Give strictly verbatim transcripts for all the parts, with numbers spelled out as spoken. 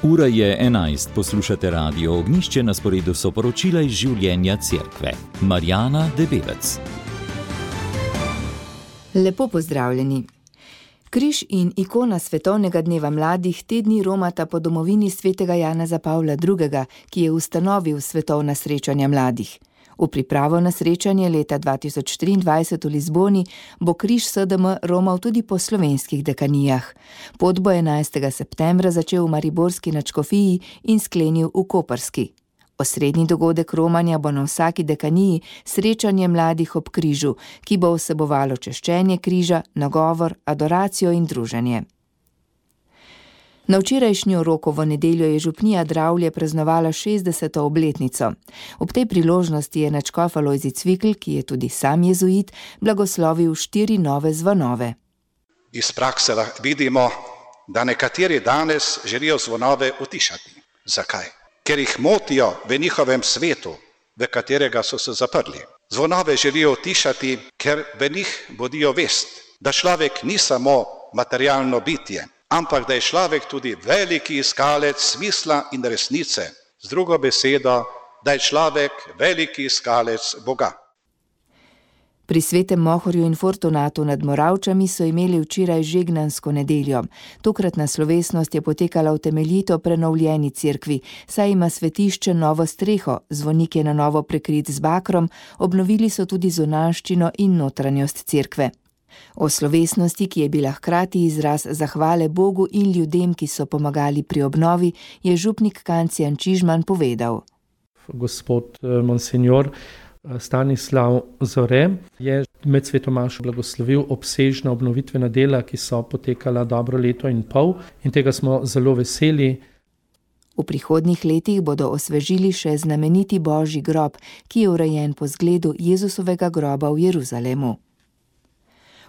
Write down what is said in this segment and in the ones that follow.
Ura je enajst, poslušate Radio Ognjišče, na sporedu so poročila iz življenja cerkve. Marjana Debevec. Lepo pozdravljeni. Križ in ikona Svetovnega dneva mladih te dni romata po domovini svetega Janeza Pavla drugega., ki je ustanovil svetovna srečanja mladih. V pripravo na srečanje leta dva tisoč triindvajset v Lizboni bo križ S D M romal tudi po slovenskih dekanijah. Pot bo enajstega septembra začel v mariborski nadškofiji in sklenil v koprski. Osrednji dogodek romanja bo na vsaki dekaniji srečanje mladih ob križu, ki bo vsebovalo češčenje križa, nagovor, adoracijo in druženje. Na včerajšnjo Rokovo nedeljo je župnija Dravlje praznovala šestdeseto obletnico. Ob tej priložnosti je nadškof Alojzij Cvikl, ki je tudi sam jezuit, blagoslovil štiri nove zvonove. Iz prakse vidimo, da nekateri danes želijo zvonove utišati. Zakaj? Ker jih motijo v njihovem svetu, v katerega so se zaprli. Zvonove želijo utišati, ker v njih bodijo vest, da človek ni samo materialno bitje, ampak da je človek tudi veliki iskalec smisla in resnice. Z drugo besedo, da je človek veliki iskalec Boga. Pri Svetem Mohorju in Fortunatu nad Moravčami so imeli včeraj žegnansko nedeljo. Tokratna slovesnost je potekala v temeljito prenovljeni cerkvi, saj ima svetišče novo streho, zvonik je na novo prekrit z bakrom, obnovili so tudi zunanjščino in notranjost cerkve. O slovesnosti, ki je bila hkrati izraz zahvale Bogu in ljudem, ki so pomagali pri obnovi, je župnik Kancijan Čižman povedal. Gospod monsenjor Stanislav Zore je med svetomašo blagoslovil obsežna obnovitvena dela, ki so potekala dobro leto in pol, in tega smo zelo veseli. V prihodnjih letih bodo osvežili še znameniti Božji grob, ki je urejen po zgledu Jezusovega groba v Jeruzalemu.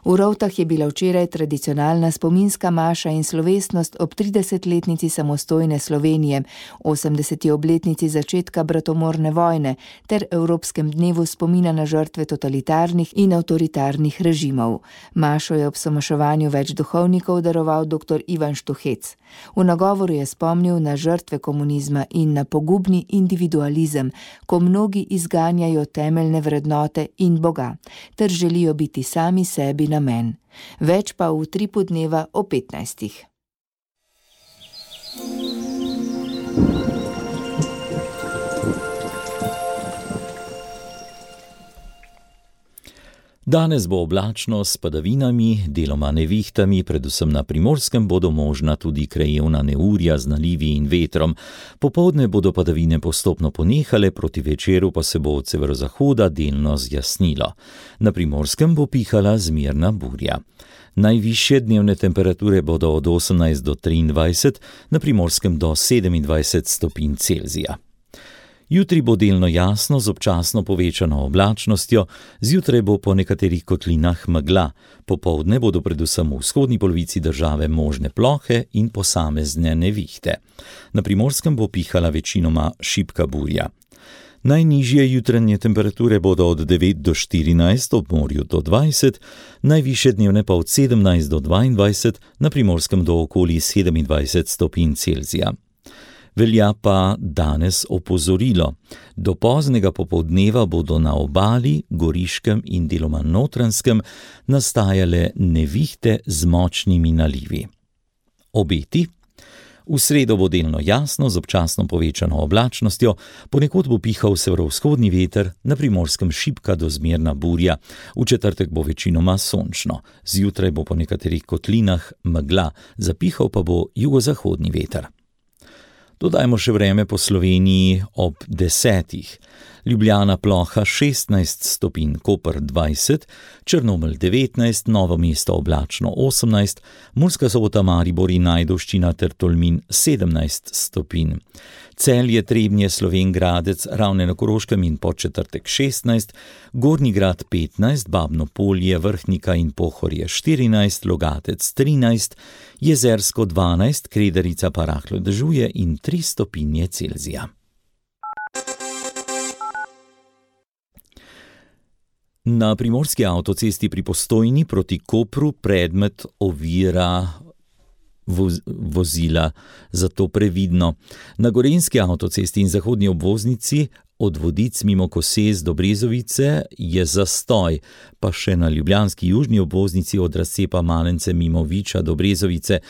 V Rovtah je bila včeraj tradicionalna spominska maša in slovesnost ob tridesetletnici samostojne Slovenije, osemdeseti obletnici začetka bratomorne vojne ter Evropskem dnevu spomina na žrtve totalitarnih in avtoritarnih režimov. Mašo je ob somaševanju več duhovnikov daroval doktor Ivan Štuhec. V nagovoru je spomnil na žrtve komunizma in na pogubni individualizem, ko mnogi izganjajo temeljne vrednote in Boga, ter želijo biti sami sebi namen. Več pa v utripu dneva o petnajstih. Danes bo oblačno s padavinami, deloma nevihtami, predvsem na Primorskem bodo možna tudi krajevna neurja z nalivi in vetrom. Popoldne bodo padavine postopno ponehale, proti večeru pa se bo od severozahoda delno zjasnilo. Na Primorskem bo pihala zmerna burja. Najvišje dnevne temperature bodo od osemnajst do triindvajset, na Primorskem do sedemindvajset stopinj Celzija. Jutri bo delno jasno z občasno povečano oblačnostjo, zjutraj bo po nekaterih kotlinah megla, popoldne bodo predvsem v vzhodni polovici države možne plohe in posamezne nevihte. Na Primorskem bo pihala večinoma šibka burja. Najnižje jutranje temperature bodo od devet do štirinajst, ob morju do dvajset, najvišje dnevne pa od sedemnajst do dvaindvajset, na Primorskem do okoli sedemindvajset stopinj Celzija. Velja pa danes opozorilo. Do poznega popoldneva bodo na Obali, Goriškem in deloma Notranjskem nastajale nevihte z močnimi nalivi. Obeti? V sredo bo delno jasno z občasno povečano oblačnostjo, ponekod bo pihal severovzhodni veter, na Primorskem šibka do zmerna burja, v četrtek bo večinoma sončno, zjutraj bo po nekaterih kotlinah megla, zapihal pa bo jugozahodni veter. Dodajmo še vreme po Sloveniji ob desetih. Ljubljana ploha šestnajst stopinj, Koper dvajset, Črnomelj devetnajst, Novo mesto oblačno osemnajst, Murska Sobota, Maribor in Ajdovščina ter Tolmin sedemnajst stopinj. Celje, Trebnje, Slovenj Gradec, Ravne na Koroškem in Podčetrtek šestnajst, Gornji Grad petnajst, Babno Polje, Vrhnika in Pohorje štirinajst, Logatec trinajst, Jezersko dvanajst, Kredarica pa rahlo dežuje in tri stopinje Celzija. Na primorski avtocesti pri Postojni proti Kopru predmet ovira voz, vozila, zato previdno. Na gorenjski avtocesti in zahodni obvoznici od Vodic mimo Kosez do Brezovice je zastoj, pa še na ljubljanski južni obvoznici od razcepa Malence mimo Viča do Brezovice.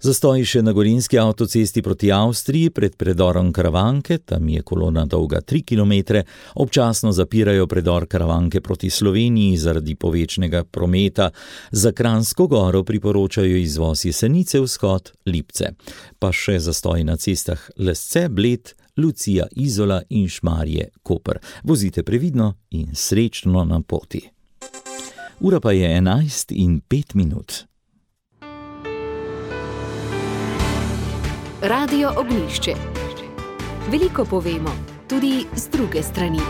Zastoj še na gorenjski avtocesti proti Avstriji pred predorom Karavanke, tam je kolona dolga tri kilometre, občasno zapirajo predor Karavanke proti Sloveniji zaradi povečnega prometa. Za Kranjsko Goro priporočajo izvoz Jesenice vzhod Lipce. Pa še zastoj na cestah Lesce, Bled, Lucija, Izola in Šmarje, Koper. Vozite previdno in srečno na poti. Ura pa je enajst in pet minut. Radio Ognjišče. Veliko povemo, tudi z druge strani.